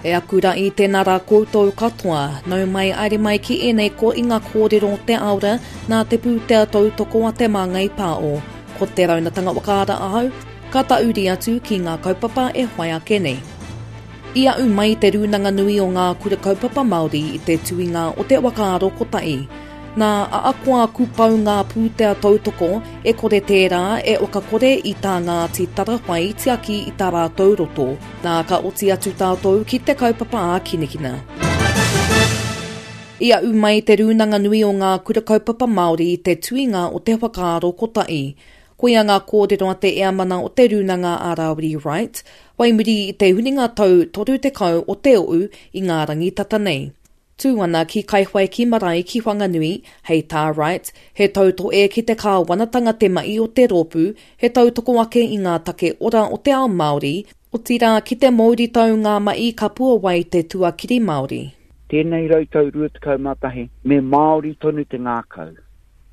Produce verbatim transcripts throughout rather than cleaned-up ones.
E aku rā i tēnā rā koutou katoa, nau mai aere mai ki ēnei ko i ngā kōrero o te aora nā te pūtea tautoko a Te Māngai Pāo. Ko te raunatanga whakaara ahau, ka tauri atu ki ngā kaupapa e whai ake nei. I au mai te rūnanga nui o ngā kura kaupapa Māori i te tuinga o te whakaaro kotahi. Nā ahakoa kupau ngā pūtea tautoko, e kore tērā e whakakore i tā Ngāti Tarawhai tiaki i tā rātou roto. Nā ka oti atu tātou ki te kaupapa ā-kinekina. I au mai te rūnanga nui o ngā kura kaupapa Māori i te tuinga o te whakaaro kotahi. Koia ngā kōrero a te eamana o te rūnanga a Rāwiri Wright, wai muri i te huringa tau toru tekau o te ou i ngā rangi tata nei. Tū ana ki Kaiwhaiki Marae ki Whanganui, hei tā Wright, he tautoe ki te kāwanatanga te mahi o te rōpū, he tautoko ake i ngā take ora o te ao Māori, otirā ki te mouritau ngā mahi ka puawai te tuakiri Māori. Tēnei rautau rua tekau mā tahi, me Māori tonu te ngākau,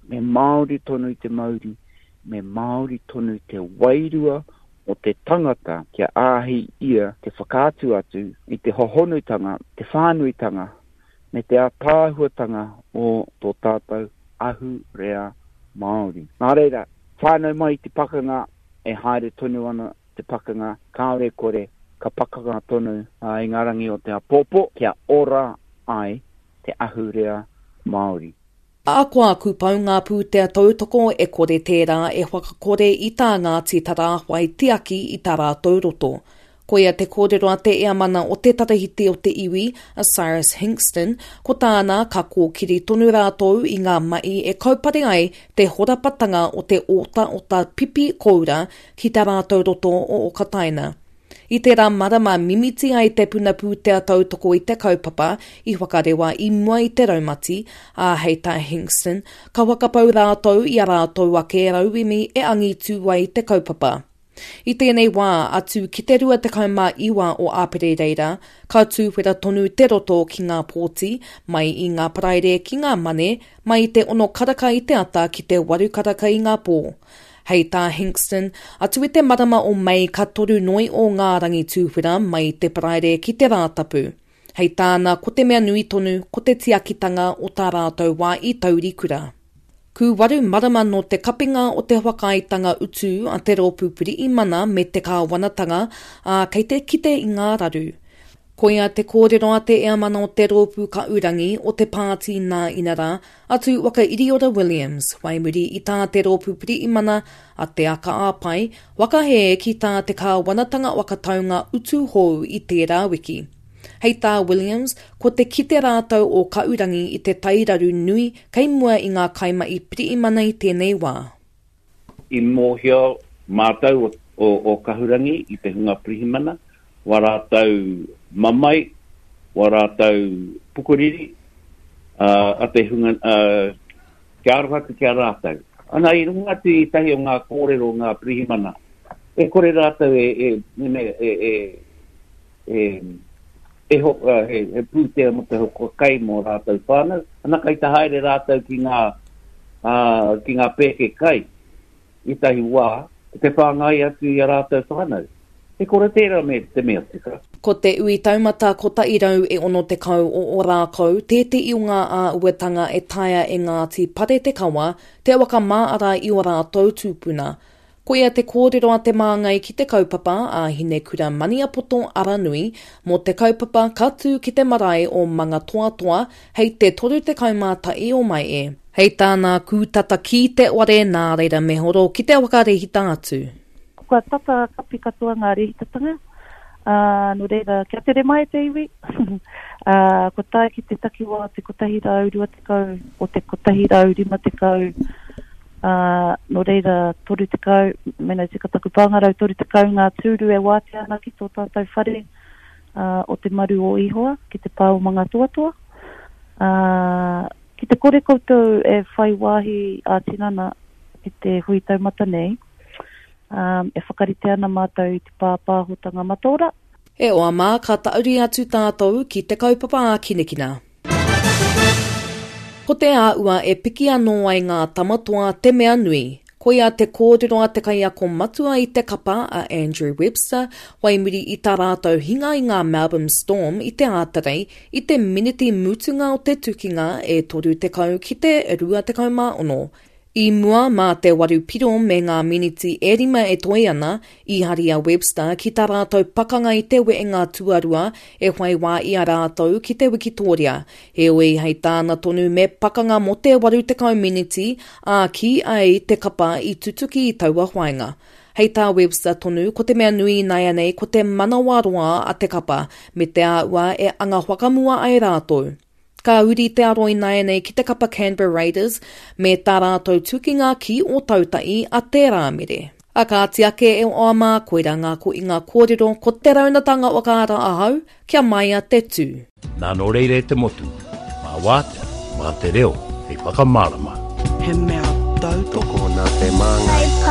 me Māori tonu te mauri, me Māori tonu te wairua o te tangata kia āhei ia te whakaatu atu i te hohonutanga, te whānuitanga, me te ātaahuatanga o tō tātou ahurea Māori. Nā reira, whānau mai te pakanga, e haere tonu ana te pakanga, kāore kore, ka pakanga tonu i ngā rangi o te āpōpō, kia ora ai te ahurea Māori. Ahakoa kupau ngā pūtea tautoko e kore tērā e whakakore i tā Ngāti Tarāwhai tiaki i tā rātou roto. Koia te kōrero a te eamana o te tarahiti o te iwi, a Cyrus Hingston, ko tāna ka kōkiri tonu rātou i ngā mahi e kaupare ai te horapatanga o te otaota pipi koura ki tā rātou roto o Okataina. I tērā marama mimiti ai te puna pūtea tautoko i te kaupapa i whakarewa i mua i te raumati, ā, hei tā Hingston, ka whakapau rātou i a rātou ake rauemi e angitu ai te kaupapa. I tēnei wā, atu ki te rua tekau mā iwa o Āperereira, ka tūwhera tonu te roto ki ngā pōti, mai i ngā paraire ki ngā mane, mai i te ono karaka i te ata ki te waru karaka i ngā pō. Hei tā Hingston, atu i te marama o Mei ka toru noi o ngā rangi tūwhera mai i te paraire ki te Rātapu. Hei tāna, ko te mea nui tonu, ko te tiakitanga o tā rātou wā i taurikura. Kūwaru marama nō te kapinga o te whakaaetanga utu a te rōpū Pirihimana me te kāwanatanga, ā, kei te kite i ngā raru. Koia te kōrero a te eamana o te rōpū Kaurangi o te pāti nā inarā, a Tūwaka Iriora Williams, whai muri i tā te rōpū Pirihimana a Te Aka Āpai, whakahē ki tā te kāwanatanga whakataunga utu hou i tērā wiki. Hei tā Williams, ko te kite rātou o Kaurangi i te tairaru nui kei mua i ngā kaimahi pirihimana i tēnei wā. I mōhio mātou o, o, o Kahurangi i te hunga pirihimana, wā rātou mamae, wā rātou pukuriri, uh, a te hunga, uh, kia aroha atu ki a rātou. Ana, i runga atu i tahi o ngā kōrero ngā pirihimana, e kore rātou e, e, e, e, e, e, e ho, uh, he, he pūtea mo te hoko kai mō rātou whānau. Ana kai te haere rātou ki ngā, uh, ki ngā pēke kai i tahi wā, te whāngai atu i a rātou whānau. E kore tērā me te mea tika. Ko te ui taumata kotahi rau e ono tekau o Ōrākau, tētehi o ngā āhuatanga e taea e Ngāti Pare te Kawa, te whakamāara i o rātou tūpuna. Koia te kōrero a te māngai ki te kaupapa a Hinekura Maniapoto Aranui mō te kaupapa ka tū ki te marae o Mangatoatoa hei te toru tekau mā tahi o Mae. Hei tāna kūtata ki te ware nā reira me horo ki te whakarehita atu. Kua tata kapi katoa ngā rehitatanga, uh, nō reira, kia tere mai te iwi, uh, kua tae ki te takiwā te kotahi rau rua tekau o te kotahi rau rima tekau, uh, nō reira toru tekau, mena tika taku pāngarau toru tekau ngā tūru e wātea ana ki tō tātou whare, uh, o te maru o Ihoa, ki te pā o Mangatoatoa. Uh, ki te kore koutou e whai wāhi ā-tinana ki te hui taumata nei, um, e whakarite ana mātou i te pāpāhotanga mataora. E oa mā, ka tauri atu tātou ki te kaupapa ā-kinekina. Ko te āua e piki anō ai ngā tamatoa te mea nui. Koia te kōrero a te kaiako matua i te kapa a Andrew Webster, whai muri i tā rātou hinga i ngā Melbourne Storm i te Ātarei i te miniti mutunga o te tukinga e toru tekau ki te rua tekau mā ono. I mua mā te waru piro me ngā miniti e rima e toe ana, i hari a Webster ki tā rātou pakanga i te wehenga tuarua e whai wā i a rātou ki te Wikitoria. Heoi hei tāna tonu me pakanga mō te waru tekau miniti, ā ki ai te kapa i tutuki i taua whāinga. Hei tā Webster tonu, ko te mea nui ināianei ko te manawaroa a te kapa, me te āhua e anga whakamua ai rātou. Ka huri te aro ināianei ki te kapa Canberra Raiders me tā rātou tukinga ki Ōtautahi a te Rāmere. A kāti ake e oa mā, koirā ngā ko i ngā kōrero ko te raunatanga whakaara ahau, kia maia te tū. Nā nō reira e te motu, mā wātea, mā te reo, hei whakamārama. He mea tautoko Tokona te māngai.